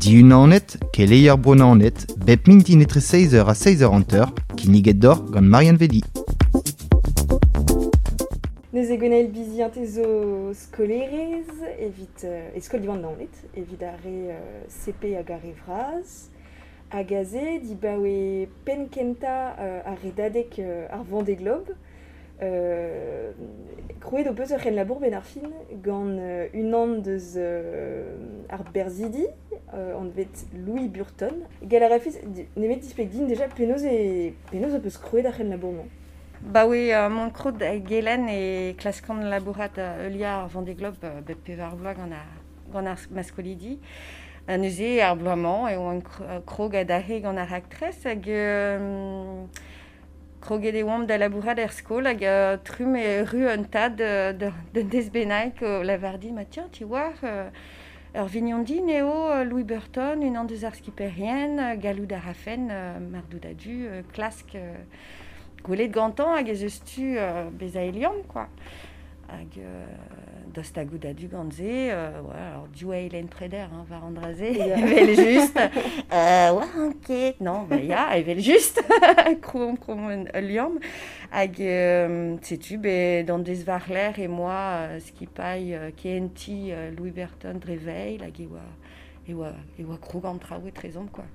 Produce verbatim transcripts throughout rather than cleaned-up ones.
Diunanet, keleier Bro Naoned, bep mintin etre seizh eur ha seizh eur hanter, kinniget deoc'h gant Marianne Vedi. Neuze Gwenaëlle Bizien, te zo skolerez evit euh, e skol Diwan Naoned, evit ar re euh, C P hag ar re vras. Hag aze, dibaoe penn kentañ euh, ar redadeg euh, ar Vendée Globe. Euh, krouet ho peus ur c'henlabour ben ar fin gant euh, unan deus euh, ar berzhidi, euh, anvet Louis Burton. Gall a rafes nemet displeg din déjà penaos e penaos ho peus krouet ar c'henlabour-mañ. Ba oui, euh, mont krot gelen e klaskan labourat euh, heuliañ ar Vendée Globe euh, bep pevar bloaz gant ar, gant ar ma skolidi. Ha neuze ar bloaz-mañ e oan krog adarre gant ar raktres hag euh, kroget e oamp da labourat er skol hag euh, trumm e erru un tad euh, d'un deiz bennak o lavar din, ma tiens, tu vois, euh, ur vignon din eo euh, Louis Burton, unan deus ar skiperien, euh, gallout a rafen, euh, mar dout a-du, euh, klask euh, gwelet gantañ hag ez eus tu euh, bezañ e liamm, quoi. Hag euh, dost ha gout a-du gant se, euh, ouais, alors div eilenn preder, hein, war an dra-se, evel just. Euh, ouais, anket, non, ba ya, evel just, krouomp krouomp un ul liamm. Hag euh, setu, be, d'an deiz war-lerc'h e moa euh, skipailh euh, K N T euh, Louis Burton dre veil, hag e oa, e oa, e oa krog an traoù etrezomp, quoi.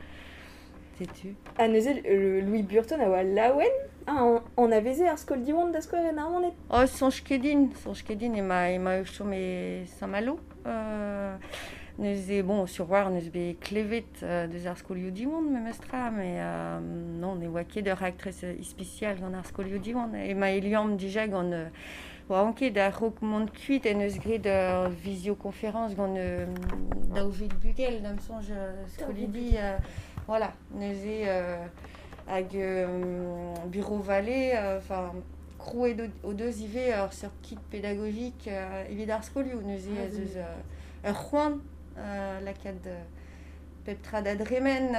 Setu. Ha neuze le Louis Burton a oa laouen? Ah, an, anaveze ar skol Diwan da skouer en Naoned? Oh, soñj ket din, soñj ket din ema ema o chom e Saint-Malo. Euh, neuze, bon, sur war neus bet klevet euh, deus ar skolioù Diwan memestra, mais euh, non, ne oa ket ur raktres ispisial gant ar skolioù Diwan. Ema e liamm dija gant euh, oa anket a-raok mont kuit en eus graet ur visioconférence gant euh, daou vil bugel, da'm soñj euh, skolidi, euh, voilà, neuze euh, hag euh, bureau Vallée, enfin krouet o deus ivez ur seurt kit pédagogique euh, evit ar skolioù, neuze Ah, ez eus euh, ur c'hoant euh, lakaat euh, pep tra da dremen,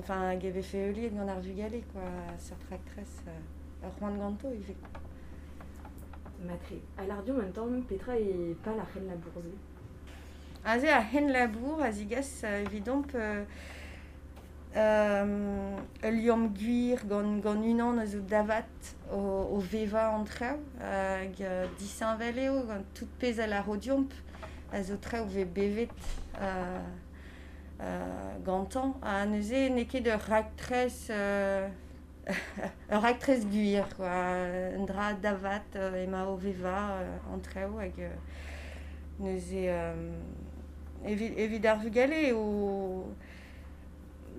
enfin hag e vefe heuliet gant ar vugale, quoi, seurt raktres, euh, ur c'hoant ganto ivez. Matre. Ha lar deomp un tamm petra eo pal ar c'henlabour-se? Aze ar c'henlabour a zigas euh, evidomp euh, euh, ul liamm gwir gant, gant unan eus o davat o, o vevañ an traoù, hag euh, disheñvel eo gant tout pezh a lâro deomp a zo traoù vez bevet euh, euh, gantañ. Ha neuze n'eo ket ur raktres euh, ur raktres gwir, quoi. Un dra davat euh, ema o vevañ euh, an traoù hag euh, neuze euh, evit, evit ar vugale o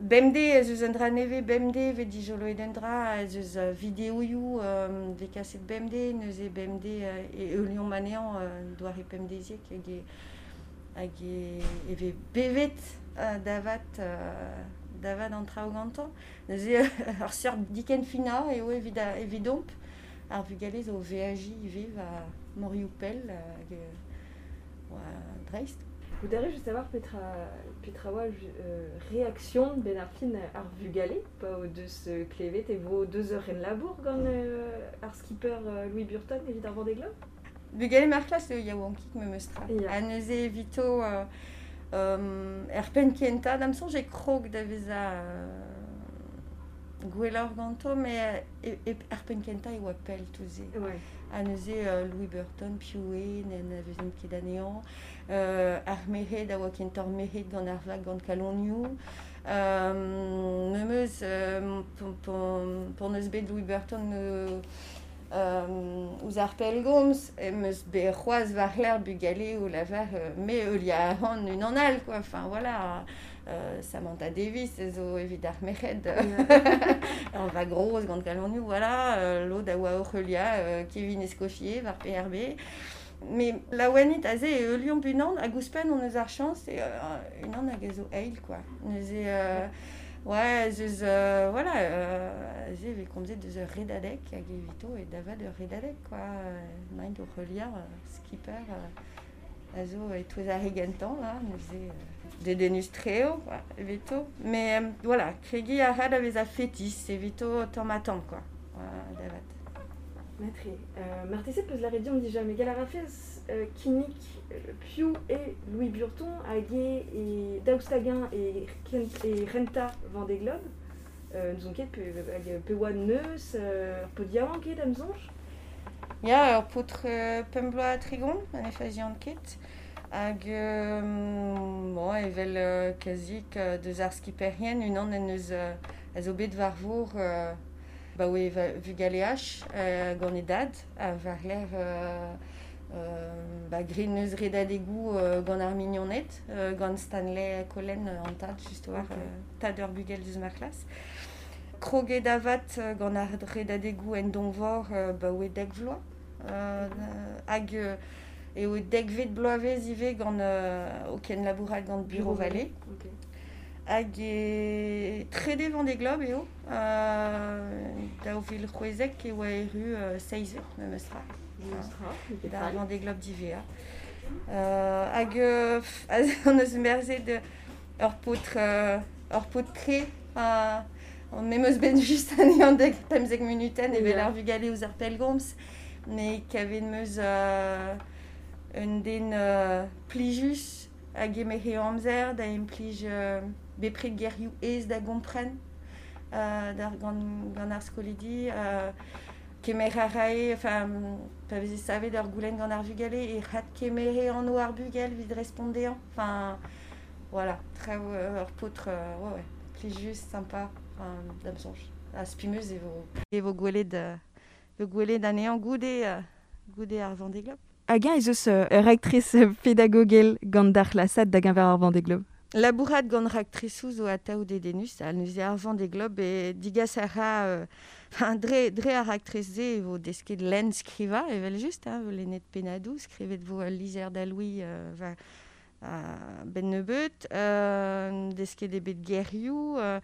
bemdez ez eus un dra nevez, bemdez vez dijoloet un dra, ez eus uh, videoioù euh, vez kaset bemdez, neuze bemdez euh, e heuliomp anezhañ euh, doare pemdeziek hag e, hag e, e vez bevet euh, davat euh, davat an traoù gantañ. Neuze ur seurt dikenfinañ eo evit a, evidomp ar vugale zo veajiñ ivez war morioù pell hag euh, oa dreist. Vous avez juste savoir petra, petra oa euh, réaction ben ar fin ar vugale, pa o deus euh, klevet e vo deus ur c'henlabour gant euh, ar skipper euh, Louis Burton evit ar Vendée Globe? Bugale ma c'hlas eo yaouankik memestra. Ya. Ha neuze evito euh, euh, er penn kentañ da'm soñj e krog da vezañ euh, gwelloc'h ganto, met e, e, er penn kentañ e oa pell tout se. Ouais. Ha neuze euh, Louis Burton, piv eo, n'anavezen ket anezhañ, euh, ar merc'hed a oa kentoc'h merc'hed gant ar vag gant kalonioù. Euh, memes euh, p'on eus bet Louis Burton euh, euh, ouzh ar pellgomz, em eus bet c'hoazh war-lerc'h bugale o lavar euh, me heuliañ a ran unan all, quoi. Enfin voilà, euh, Samantha Davis zo evit ar merc'hed ur vag groz gant kalonioù, voilà, euh, lod a oa oc'h heuliañ euh, Kevin Escoffier war P R B. Mais laouenit aze e heuliomp unan hag ouzhpenn hon eus ar chañs e euh, unan hag a zo eil, quoi. Neuze euh, ouais, ez eus euh, voilà, euh, aze e vez komzet deus ur redadeg hag evito e davat ur redadeg, quoi. Emaint oc'h heuliañ euh, skipper euh, a zo e-touez ar re gentañ, là, neuze euh, dedennus-tre eo, quoi, evito. Mais euh, voilà, kregiñ a ra da vezañ fetis evito tamm ha tamm, quoi. Voilà, davat. Matre. Euh, marteze peus lâret deomp dija, met gall a rafez euh, kinnig euh, piv eo Louis Burton hag eo e daoust hag-eñ e, kent, e renta Vendée Globe. Euh, n'ouzon ket pe, hag pe oa neus, euh, ur paotr yaouank eo da'm soñj. Ya, ur paotr euh, pemp bloaz ha tregont, ma ne fazian ket. Hag euh, bon, evel euh, kazik euh, deus ar skiperien, unan en deus euh, a zo bet war vor euh, ba oe vugaleaj euh, gant e dad, a war ler euh, euh, ba gre neus redadegoù euh, gant ar mignoned, euh, gant Stanley Collen euh, an tad, just war, Ok. euh, tad ur bugel deus ma c'hlas. Kroget avat euh, gant ar redadegoù en donvor euh, ba oe dek vloaz. Euh, hag euh, eo dekvet bloavezh ivez gant euh, o ken labourat gant Bureau Vallée. Ok. Hag e trede Vendée Globe eo, euh, daou vil c'hwezek e oa erru euh, seizvet, memes tra. Memes tra, n'eo ket Da fall. Vendée Globe divea. Euh, hag euh, pff, an eus merzet ur paotr, euh, ur paotr kre, uh, an memes ben just anezhañ dek pemzek minuten evel Ya. ar vugale ouzh ar pellgomz, met kavet meus euh, un den euh, plijus hag eme he amzer da implij euh, bepred gerioù aes da gompren euh, d'ar gant, gant ar skolidi, euh, kemer a rae, enfin, pa veze savet ur goulenn gant ar vugale e c'hat kemere an o ar bugel evit respont dezhañ. Enfin, voilà, traoù euh, ur paotr, euh, ouais, ouais, plijus, sympa, enfin, da'm soñj. Ha spimeus e vo, e vo gwelet, euh, vo gwelet anezhañ goude, euh, goude ar Vendée Globe. Hag-eñ ez eus euh, ur raktres pedagogel gant ar c'hlasad da geñver ar Vendée Globe. Labourat gant raktresoù zo atav dedennus, ha neuze ar Vendée Globe e digas a ra, euh, enfin, dre, dre ar raktres-se e vo desket lenn skrivañ, evel just, hein, vo lennet pennadoù, skrivet vo ul lizher da Louis, euh, war, euh, ben nebeut, euh, desket eo bet gerioù, euh,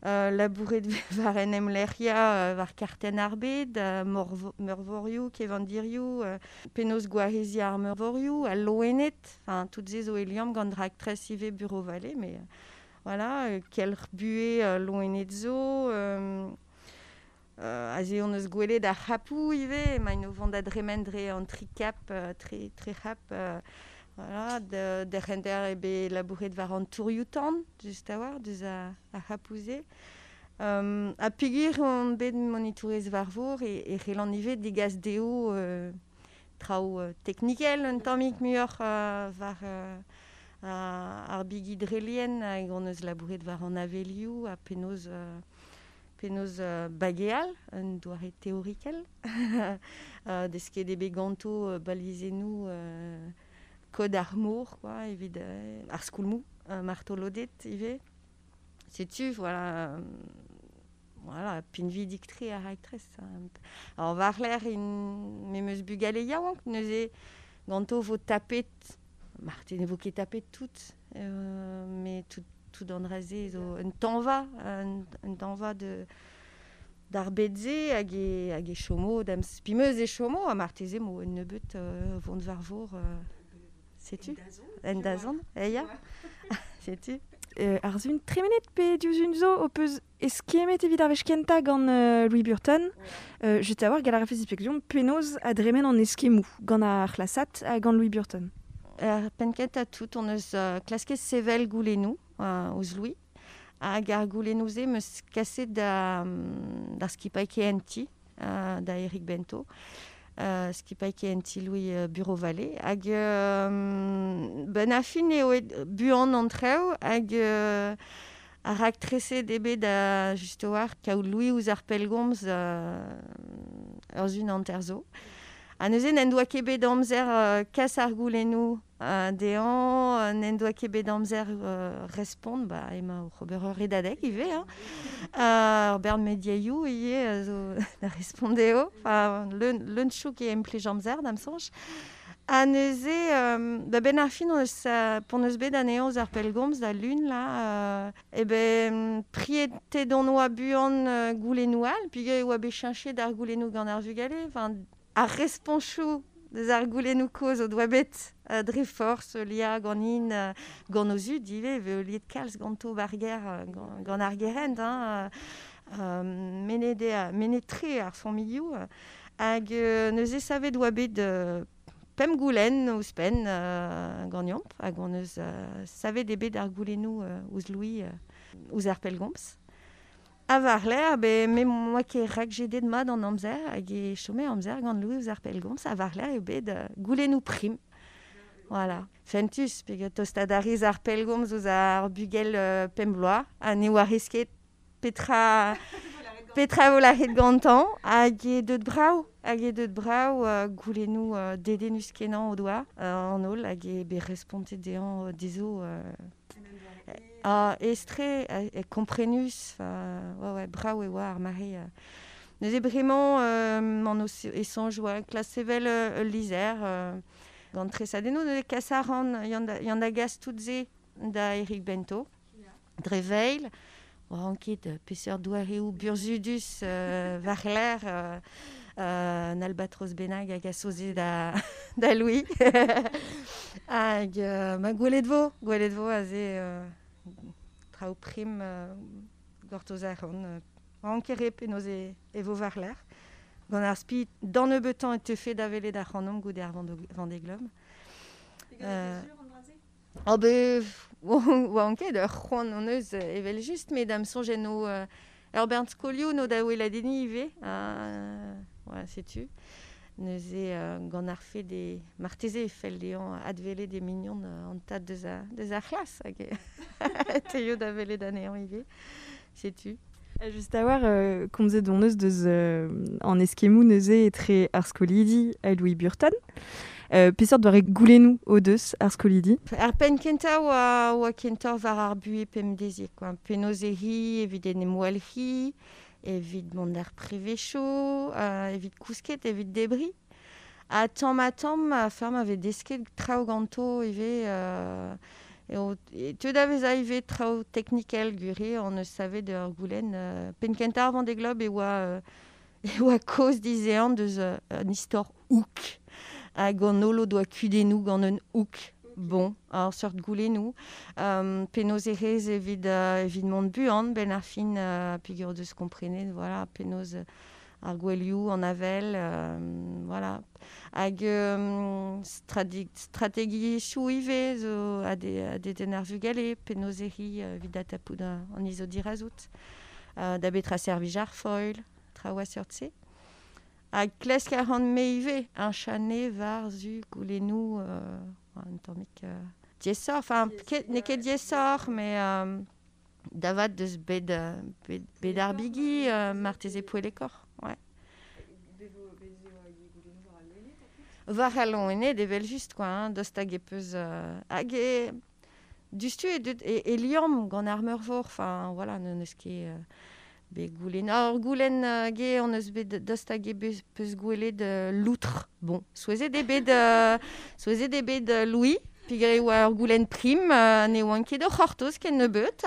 euh, labouret war en em lec'hiañ, euh, war kartenn ar bed, euh, morvo-, meurvorioù, kevandirioù, euh, penaos gwareziñ ar meurvorioù, al loened, enfin, tout se zo e liamm gant raktres ivez Bureau Vallée, mais, euh, voilà, euh, kelc'h buhez, euh, loened zo, euh, euh, aze hon eus gwelet ar c'hapoù ivez, emaint o vont da dremen dre an tri kap, euh, tri, tri c'hap, euh, voilà, de, derc'henter eo bet labouret war an tourioù-tan, just a-walc'h, deus a, a c'hapou-se. Euh, ha peogwir on bet monitourez war vor e, e c'hellan ivez degas dezho, euh, traoù, euh, teknikel un tammig muioc'h, euh, war, euh, ar bigi drelien, hag hon eus labouret war an avelioù ha penaos, euh, penaos, euh, bageal, un doare teorikel. Euh, desket eo bet ganto, euh, balizennoù, euh, kod ar mor, quoi, evit, euh, ar skoulmoù, euh, martoloded ivez. Setu, voilà, euh, voilà, pinvidik-tre ar raktres. Alors, war ler in memes bugale yaouank, neuze ganto vo tapet, marteze ne vo ket tapet tout, euh, mais tout, tout an dra-se zo un tañva, un, un tañva de d'ar bed-se hag e, hag e chomo, da'm spimeus e chomo, ha marteze mo un nebeut, euh, vont war vor, euh, setu? En dazont, eh ya. Setu? Euh, ar zun tremenet pe diouzh un zo o peus eskemmet evit ar wech kentañ gant, euh, Louis Burton. Euh, just a-walc'h gall a rafez displegiñ penaos a dremen an eskemmoù gant ar c'hlasad ha gant Louis Burton. Er penn kentañ tout on eus, euh, klasket sevel goulennoù, euh, ouzh Louis. Hag ar goulennoù-se 'm eus kaset da, d'ar skipailh K N T, euh, da Eric Bento. Euh, skipailh K N T Louis, euh, Bureau Vallée. Hag, euh, ben a fin eo et buan an traoù, hag, euh, ar raktreset eo bet da just a-walc'h kaout Louis ouzh ar pellgomz, euh, ur zun hanter zo. Ha neuze n'en doa ket bet amzer, euh, kas ar goulennoù, euh, dezhañ, euh, n'en doa ket bet amzer, euh, respont, ba, emañ oc'h ober ur redadeg ivez, hein. Euh, ur bern mediaioù ivez, euh, zo da respont dezho. Enfin, leun, leun chouk e implij amzer, da'm soñj. Ha neuze, euh, ba ben ar fin, on eus, euh, p'on eus bet anezhañ ouzh ar pellgomz da lun, là, euh, e ben, prietet on oa buan, euh, goulennoù all, peogwir e oa bet cheñchet d'ar goulennoù gant ar vugale, enfin, ar responchoù deus ar goulennoù kozh o doa bet, euh, dre forzh, lia ganin, euh, gant o zud ivez, e liet kalz ganto bar ger, euh, gant, gant ar gerent, hein, euh, euh, menet eo, menet tre ar familhoù, euh, Hag euh, neuze savet oa bet euh, pemp goulenn ouzhpenn euh, ganeomp, hag on eus euh, savet eo bet ar goulennoù euh, ouzh Louis euh, ouzh ar pellgomz. A war-lerc'h, be, me moa ket rakjedet mat an amzer, hag e chome amzer gant Louis ouzh ar pellgomz, a war-lerc'h eo bet euh, goulennoù prim. Voilà. Fentus, peogwir tostaat a rez ar pellgomz ouzh ar bugel euh, pemp bloaz, ha ne oa ket petra... Petra vo lâret gantañ, hag eo deut brav, hag eo deut brav euh, goulennoù euh, dedennus kenañ o doa euh, an holl, hag eo bet respontet dezhañ dezho euh, ah, aes-tre, e komprenus, enfin, ouais, ouais, brav e oa ar mare. Euh. Neuze bremañ euh, an eus e soñj oa klas sevel euh, ul lizher euh, gant tresadennoù, neuze kas a ran, yann da, yann da gas tout se da Eric Bento, dre veil. Oan ket peseurt doareoù burzhudus euh, war-lerc'h euh, euh, an albatros bennak hag a soze da, da Louis. Hag euh, ma gwelet vo, gwelet vo aze euh, traoù prim euh, gortoz a ran. Euh, oan ket re penaos e, e vo war-lerc'h. Gant ar spi d'an nebeutañ e teufe da welet ar c'hanomp goude ar Vendée Globe. Euh, Oh be, oan ket ur c'hoant hon eus evel just, met da'm soñj eno euh, ur bern skolioù no da weladenniñ ivez, euh, ouais, setu. Neuze euh, gant ar fed e marteze e fell dezhañ adwelet e mignon euh, an tad deus a, deus ar c'hlas hag e teio da welet anezhañ ivez, setu. Just a war, euh, komzet hon eus deus euh, an eskemmoù neuze etre ar skolidi ha Louis Burton. Euh, peseurt doare goulennoù o deus ar skolidi? Ar penn kentañ oa, oa kentañ war ar buhez pemdeziek, quoi. Penaos e ri, evit en em walc'hiñ, evit mont d'ar prevezioù, euh, evit kousket, evit debriñ. Ha tamm ha tamm, a ferm a vez desket traoù ganto ivez, euh, eo, e teu da vezañ ivez traoù teknikel gwir on eus savet ur goulenn. Euh, penn kentañ ar Vendée Globe e oa, euh, e oa kaoz dizehan deus euh, un istor hook. Hag an holl o doa kudennoù gant un hook. Bon, ar seurt goulennoù. Um, penaos e rez evit, euh, evit mont buan, ben ar fin euh, peogwir deus komprenet, voilà, penaos ar gwelioù, an avel, euh, voilà. Hag euh, strategiezhioù ivez zo a de, a dedenn ar vugale, penaos e ri evit atapout an izo dirazout. Euh, da betra servij ar foil, traoù a seurt-se. Hag klesk a ran me ivez, un chane war zu goulennoù euh, un tammig euh, diaesoc'h, enfin, ket, n'eo ket diaesoc'h, mais euh, davat deus bet, bet, bet ar bigi, euh, marteze poellekoc'h, ouais. War al loened evel just, quoi, hein, dost hag e peus... Euh, hag e... Dustu e, e, e liamm gant ar meurvor, enfin, voilà, n'eus ket... Euh, be goulenn. Ar goulenn uh, ge on eus bet dost hag e peus gwelet uh, loutre. Bon, souezhet eo bet, uh, souezhet eo bet uh, Louis, peogwir e oa ur goulenn prim, uh, ne oan ket o c'hortoz ken nebeut.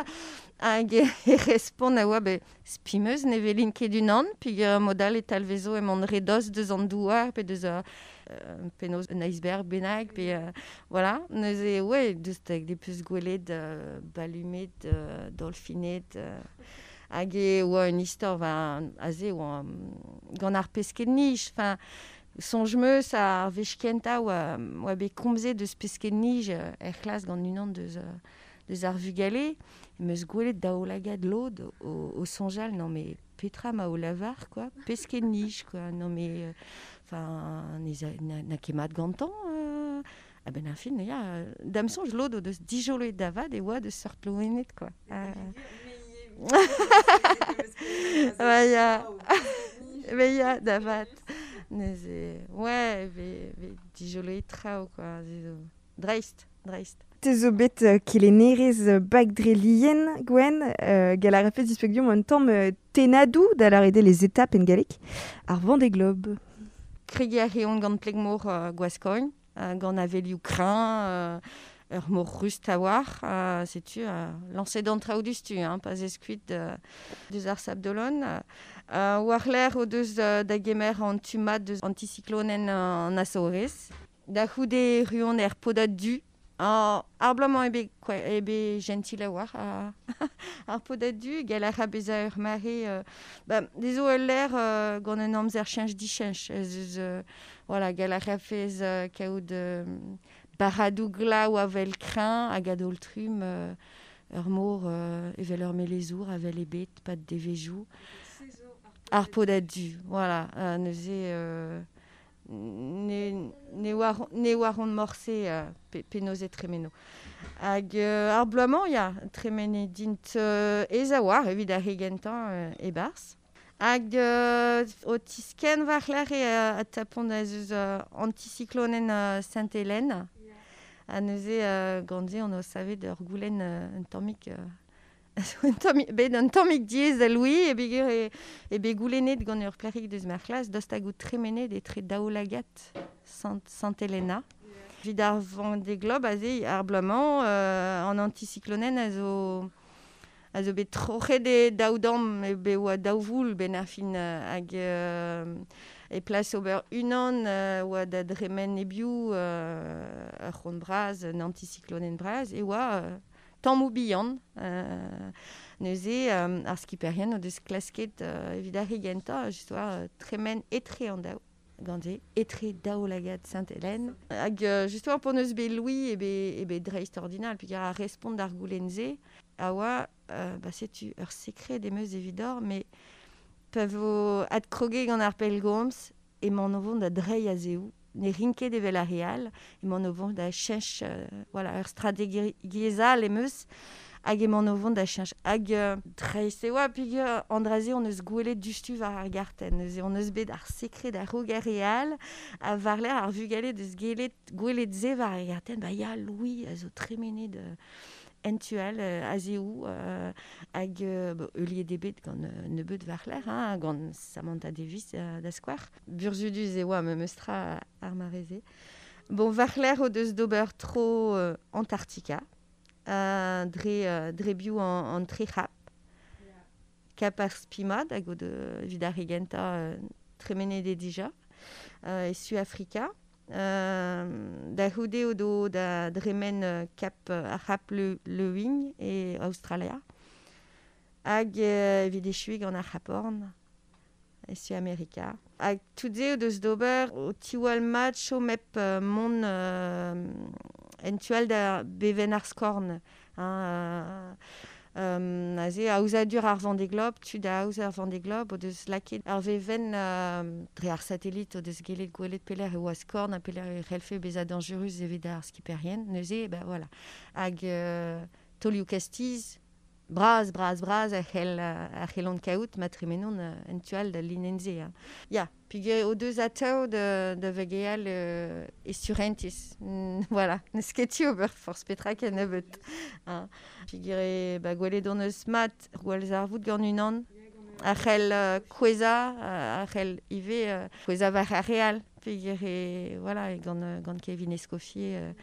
Hag e respont a oa be spi 'm eus ne welin ket unan, peogwir mod all e talvezo emaon re dost deus an douar, pe deus uh, penaos un iceberg bennak, pe euh, voilà. Neuze, ouais, deus hag e peus gwelet uh, balumed, uh, dolfined, uh, hag e oa un istor va aze oa gant ar pesked-nij, enfin, soñj 'm eus ar wech kentañ oa, oa bet komzet deus pesked-nij er c'hlas gant unan deus, deus ar vugale, em eus gwelet daoulagad lod o, o soñjal, non mais petra ma o lavar, quoi, pesked-nij, quoi, non mais, enfin, na, na ket mat gantañ, euh, a ben ar fin, ya, da'm soñj lod o deus dijoloet davat e oa deus seurt loened, quoi. Euh, Ouais, ya. Mais ya, davat. Neuze, ouais, ve, ve dijoloet traoù, quoi. Dreist, dreist. Te zo bet uh, kelennerez bag dre lien, Gwen, euh, gall a rafez displeg deomp un tamm uh, tennadoù da lâret eo les étapes en galleg ar Vendée Globe. Kregiñ a reont gant pleg-mor uh, Gwaskogn, uh, gant avelioù kreñv, uh, ur mor rust a-walc'h, uh, setu, uh, lañset an traoù dustu, hein, pa zez kuit uh, deus ar Sables-d'Olonne. Uh, war-lerc'h o deus uh, da gemer an tu mat deus anticyclonen an Azorez. Da c'houde ruont er podad du, Ar, ar bloaz-mañ eo bet kwa, eo bet gentil a-walc'h ar, ar podad du, gall a ra bezañ ur mare euh, ba, dezo ul lec'h euh, gant un amzer cheñch dicheñch ez eus euh, voilà, gall a rafez euh, kaout euh, barradoù glav avel kreñv hag a-daol-trumm euh, ur mor euh, evel ur melezour avel ebet, pad devezhioù. Ar podad du, voilà, euh, neuze euh, ne, ne oar, ne oar on morse euh, pe, penaos e tremeno. Hag euh, ar bloaz-mañ, ya, tremene dint euh, ez a oar evit ar re gentañ euh, e-barzh. Hag euh, o tiskenn war-lerc'h e euh, a tapont ez eus euh, anticyclonen euh, Sainte-Hélène. Ha neuze euh, gant se on o savet ur goulenn euh, un tammig euh, un tammig, bet un tammig diaes da Louis e beger e, e bet goulennet gant ur plac'hig deus ma c'hlas dost hag out tremenet etre daoulagad Sant, Sainte-Helena. Evit ar Vendée Globe aze ar bloaz-mañ euh, an anticyclonen a zo a zo bet troc'het e daou damm e bet oa daou voul ben ar fin euh, hag euh, e plas ober unan euh, oa da dremen e-biou euh, ur c'hont bras, un anticyclonen bras, e oa euh, tammoù bihan. Euh, neuze euh, ar skiperien o deus klasket euh, evit ar re gentañ, just oa euh, tremen etre an daou. Gant se, etre daoulagad Sainte-Hélène. Hag euh, just oa p'hon eus bet Louis e bet, e bet dreist-ordinal, peogwir ar respont d'ar goulenn-se, a oa, euh, ba setu ur sekred em eus evidoc'h, mais pa vo adkroget gant ar pellgomz, emaon o vont da dreiñ a-zehou, ne rin ket evel ar re all, emaon o vont da cheñch, euh, voilà, ur strategiezh all em eus, hag emaon o vont da cheñch. Hag euh, dreist e oa, peogwir an dra-se hon eus gwelet diouzhtu war ar gartenn. Neuze hon eus bet ar sekred a-raok ar re all, ha war-lerc'h ar vugale deus gelet gwelet se war ar gartenn, ba ya, Louis a zo tremenet euh, en tu all euh, a-zehou, euh, hag euh, bo, heuliet eo bet gant euh, nebeut war-lerc'h, hein, gant Samantha Davies euh, da skouer. Burzhudus e oa memes tra ar mare-se. Bon, war-lerc'h o deus d'ober tro euh, Antarctica, euh, dre, euh, dre biou an, an tri c'hap. Kap ar Spimad hag o de evit ar re gentañ euh, tremenet eo dija, euh, e Suafrika. Euh, da c'houde o do da dremen euh, kap euh, ar c'hap Le, Lewin e Australia. Hag euh, evit echuiñ gant ar C'hap Horn e Suamerika. Hag tout se o deus d'ober o tiwall mat chom hep euh, mont euh, en tu all da bevenn ar skorn. Hein, euh, euh, aze aozadur ar Vendée Globe, tud a aoz ar Vendée Globe o deus lakaet ar vevenn euh, dre ar satellit o deus gellet gwelet pelec'h e oa skorn ha pelec'h e c'hellfe bezañ dañjerus evit ar skiperien. Neuze, ben voilà. Hag euh, taolioù kastiz, bras, bras, bras a c'hell a c'hellont kaout ma tremenont euh, en tu all da linenn-se. Hein. Ya, peogwir o deus atav da, da vageal euh, e surentez. Mm, voilà, n'eus ket tu ober forzh petra kennebeut. Hein. Peogwir e, ba, gwelet hon eus mat gwallzarvoud gant unan, a c'hell euh, kouezhañ, a c'hell ivez euh, kouezhañ war ar re all. Peogwir e, voilà, e gant, euh, gant Kevin Escoffier, euh,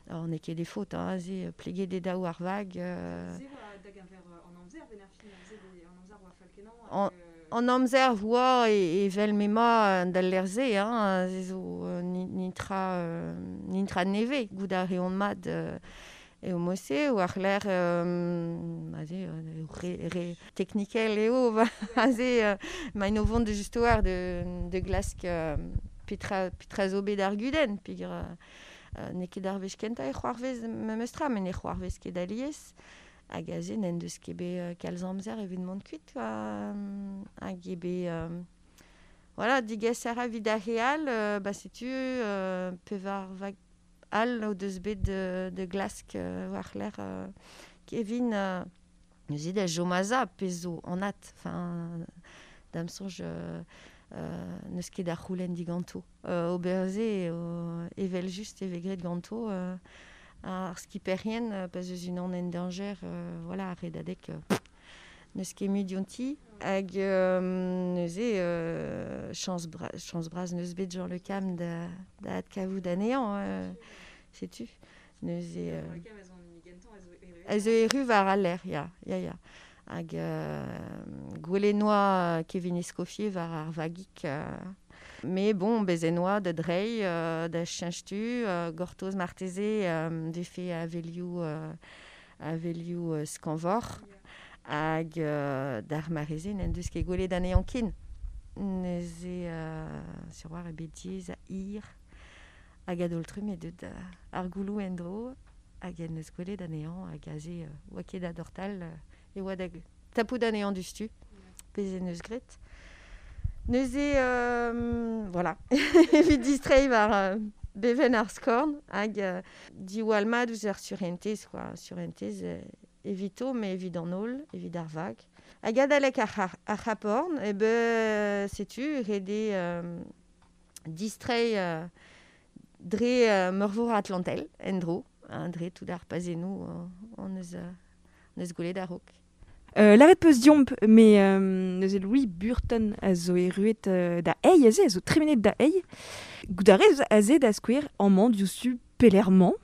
alors n'eo ket e faot, hein, aze, pleget e daou ar vag. Euh, an, an amzer oa e, evel m'emañ d'al lec'h-se, hein, se zo euh, ni, nintra, euh, nintra nevez, goût a reont mat euh, eo mod-se, war lec'h euh, aze, euh, re, re teknikel eo, aze, euh, maint o vont de just war de, de glask euh, petra, petra zo bet ar gudenn, peogwir euh, euh, n'eo ket ar wech kentañ e c'hoarvez memes tra, met ne c'hoarvez ket alies. Hag aze n'en deus ket bet euh, kalz amzer evit mont kuit, quoi. Hag eo bet... Euh, voilà, digas a ra evit ar re all, euh, ba setu euh, pevar vag all o deus bet de, de glask euh, war-lerc'h euh, Kevin euh, neuze da chom a-sav pezh zo anat. Enfin, da'm soñj euh, euh, n'eus ket da c'houlenn diganto. Euh, ober se eo evel just e vez graet ganto euh, ar skiperien euh, pa 'z eus unan en dañjer, euh, voilà, ar redadeg euh, n'eus ket mui dionti. Hag euh, neuze euh, chañs bra, chañs bras n'eus bet Jean Le Cam da, da adkavout anezhañ, euh, setu. Neuze... Euh, a zo erru war al lec'h, ya, ya, ya. Hag euh, gwelet noa Kevin Escoffier war ar vagig euh, Mais bon, bezen oa da drei, euh, da cheñch-tu, euh, gortoz marteze euh, vefe avelioù, euh, avelioù euh, skañvor, hag euh, d'ar mareze n'en deus ket gwelet anezhañ ken. Neuze euh, sur war e bet diaes a hir hag a-daol-trumm eo deut euh, ar gouloù en-dro hag en deus gwelet anezhañ hag aze euh, oa ket da dortal euh, e oa da tapout anezhañ diouzhtu, pezh en deus graet. Neuze, euh, voilà, evit distreiñ war euh, bevenn ar skorn hag euh, diwall mat ouzh ar surentez, quoi. Surentez euh, evito, mais evit an holl, evit ar vag. Hag adalek ar, ar, ar C'hap-Horn, e be, setu, ret eo euh, distreiñ euh, dre euh, meurvor Atlantel, en-dro, hein, dre tout ar pazennoù euh, on eus, euh, on eus gwelet a-raok. Euh, Lavaret peus diomp, mais euh, neuze Louis Burton a zo erruet euh, da eil aze, a zo tremenet da eil. Goût a rez aze da skouer amañ diouzhtu pelec'h-mañ.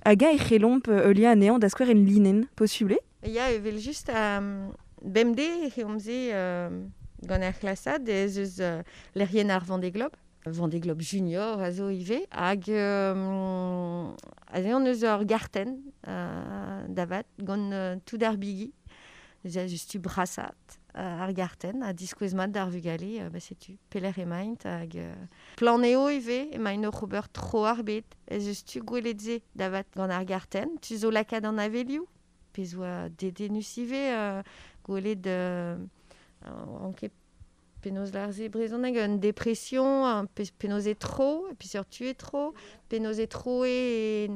Hag eñ e c'hellomp euh, heuliañ anezhañ da skouer en linenn, posubl eo? Ya, evel just euh, bemdez e reomp se euh, gant ar c'hlasad ez eus euh, lec'hienn ar Vendée Globe. Vendée Globe Junior a zo ivez, hag euh, aze on eus ur gartenn euh, davat gant euh, tout ar bigi. Neuze a just tu brasat euh, ar gartenn ha diskouez mat d'ar vugale, euh, ba setu pelec'h emaint hag euh, plan eo ivez, emaint oc'h ober tro ar bed, ez eus tu gwelet se davat gant ar gartenn, tu zo lakaat an avelioù, pezh oa dedennus ivez euh, gwelet euh, an ket penaos lâr se brezhoneg, un dépression, un pe- penaos e tro, et puis sur tu e tro, penaos e tro e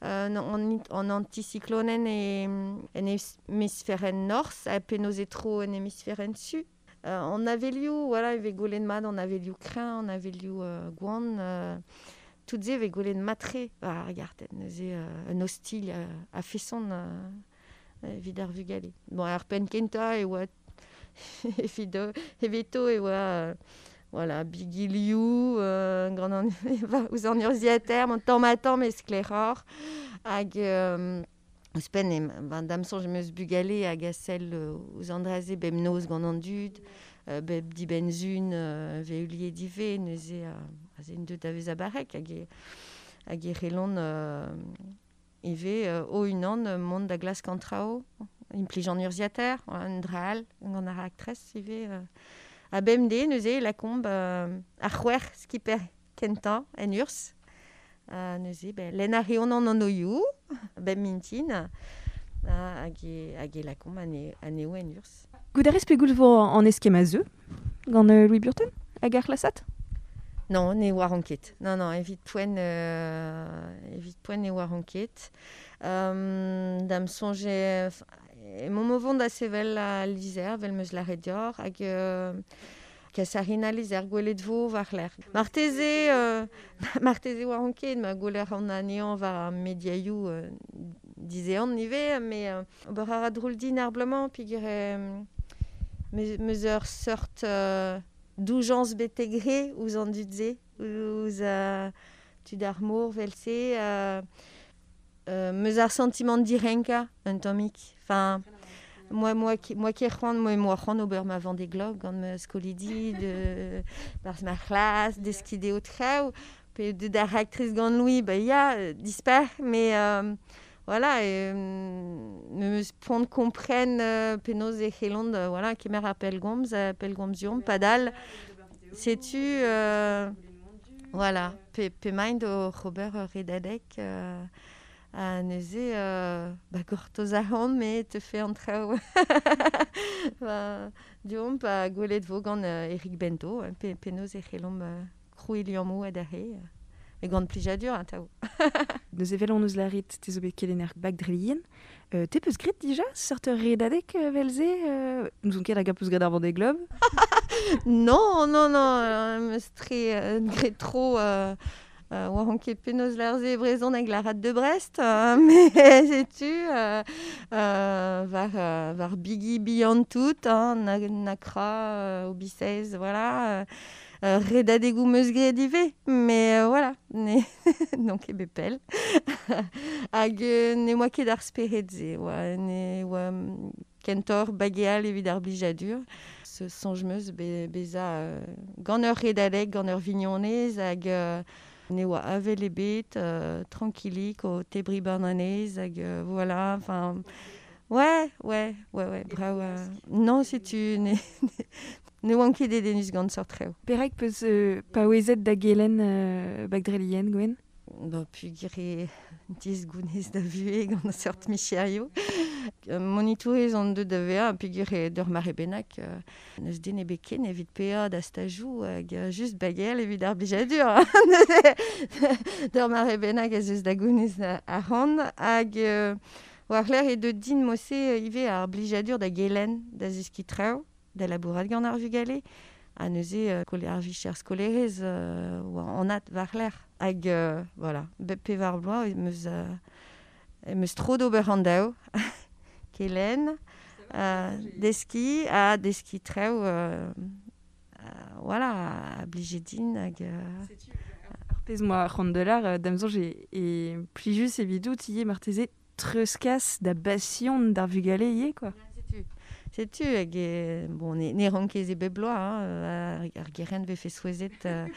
euh, an, an anticyclonen e en hémisphère norzh, ha penaos e tro en hémisphère su. Euh, an avelioù, voilà, e vez gwelet mat an avelioù kreñv, an avelioù euh, gwan, euh, tout se e vez gwelet mat-tre war ar gartenn, neuze euh, un ostilh euh, a-feson euh, evit ar vugale. Bon, ar penn kentañ e oa evit evito e oa euh, voilà, bigi liv, euh, gant an ouzh an urzhiataer, mon tamm ha tamm e sklaeroc'h, hag euh, ouzhpenn e ben, da'm soñj em eus bugale hag a sell euh, ouzh an dra-se bemnoz gant an dud, euh, bep dibenn-sizhun euh, vez heuliet ivez, neuze euh, aze en deus da vezañ barrek hag e, hag e c'hellont euh, ivez euh, o-unan euh, mont da glask an traoù, implij an urzhiataer, un dra all gant ar raktres ivez. Euh, a bemdez neuze lakaomp euh, ar c'hwec'h skipper kentañ en urzh. Uh, neuze, ben, lenn a reont an anvioù, bep mintin, uh, hag e, hag e lakaomp ane, anezho en urzh. Goût a rez pegoulz vo an eskemm a zeu gant euh, Louis Burton hag ar c'hlasad? Non, ne oaran ket. Non, non, evit poent, euh, evit poent ne oaran ket. Euh, da'm soñj eo, emaomp o vont da sevel al lizher, 'vel 'm eus lâret deoc'h, hag euh, kas a rin al lizher gwelet vo war-lerc'h. Marteze, euh, marteze oaran ket, ma gweler an anezhañ war ar mediaioù euh, dizehan ivez, mais euh, ober a ra drol din ar bloaz-mañ, peogwir euh, 'm eus ur seurt euh, doujañs betek re ouzh an dud-se, ouzh euh, tud ar mor 'vel-se, euh, euh, 'm eus ar santimant direnkañ un tammig. Enfin, moi, moi, qui, moi qui c'hoant, moi, moi c'hoant ober ma Vendée Globe gant ma skolidi, de, barzh ma c'hlas, deskiñ dezho traoù, pe deut ar raktres gant Louis, ba ya, euh, dispar, mais euh, voilà, euh, me meus poan kompren euh, penaos e c'hellont, euh, voilà, kemer ar pellgomz, euh, pellgomzion, padal, setu, euh, voilà, pe, p'emaint oc'h ober ur redadeg, euh, ha neuze, euh, ba gortoz a ran, me teufe an traoù. Ba, deomp ha gwelet vo gant euh, Eric Bento, pe, penaos e c'hellomp euh, krouiñ liammoù adarre, euh, e gant plijadur atav. Neuze 'vel hon eus lâret te zo bet kelenner bag dre lien. Euh, te peus graet dija seurt ur redadeg euh, 'vel-se euh, N'ouzon ket hag a peus graet ar Vendée Globe? Non, non, non, euh, 'm eus tre euh, graet tro euh, euh, oaran ket penaos lâr se e brezhoneg la rade de Brest, euh, mais setu euh, euh, war, euh, war bigi bihan tout, hein, na, Nacra, euh, Hobby seize, voilà. Euh, euh, redadegoù 'm eus graet ivez, mais euh, voilà, ne n'on ket bet pell. Hag euh, ne oa ket ar spered-se, oa, ne oa kentoc'h bageal evit ar blijadur. Soñj 'meus be, beza euh, gant ur redadeg, gant ur vignonez hag euh, ne oa avel ebet, euh, tranquillik o tebri bananez hag euh, voilà, enfin... Ouais, ouais, ouais, ouais, bravo. Euh, non, setu ne, ne oan ket dedennus gant seurt traoù. Perak peus euh, paouezet da gelen euh, bagdrelien, Gwen? Ba, pugir e diz gounez da vuhez gant seurt micherioù. Euh, monitourez an deut da vezañ, pugir e d'ur mare bennak, euh, n'eus den ebet ken evit paeañ da stajoù hag euh, just bagel evit ar blijadur. D'ur mare bennak ez eus da gounez arc'hant hag euh, war-lerc'h e deut din mose ivez ar blijadur da gelen da zeskiñ traoù, da labourat gant ar vugale, ha neuze euh, kole ar vicher skolerez euh, oa anat war-lerc'h. Hag euh, voilà, bep pevar bloaz em eus, euh, em eus tro d'ober an daou, kelen, euh, deskiñ ha deskiñ traoù, euh, euh, voilà, a blije din hag... Euh, Ar pezh 'moa c'hoant da lar, euh, da'm soñj e, e plijus evidout ivez marteze treuzkas da basion d'ar vugale ivez, quoi. Setu, setu hag e, bon, ne, ne ran ket se bep bloaz, hein, ar, ar gerent vefe souezhet euh,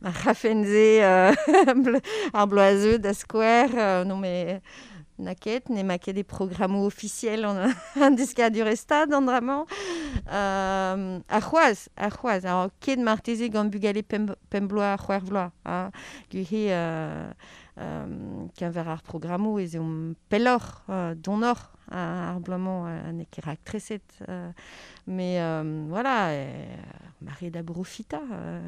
ma rafen se euh, ar bloaz da skouer, euh, non mais na ket, ne ma ket e programmoù ofisiel an, an deskadur e stad an dra-mañ. Euh, ar c'hoazh, ar c'hoazh, alors ket marteze gant bugale pemp, pemp bloaz, c'hwec'h vloaz, hein, gure euh, euh, keñver ar programmoù ez eomp pelloc'h, euh, donoc'h ar bloaz-mañ euh, n'eo ket raktreset. Euh, mais euh, voilà, euh, mare da brofitañ euh,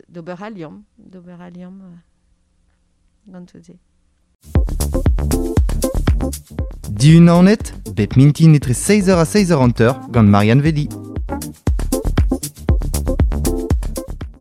d'ober al liamm, d'ober al liamm euh, gant tout se. Dihun Naoned, bep mintin etre seizh eur ha seizh eur hanter gant Marianne Vedi.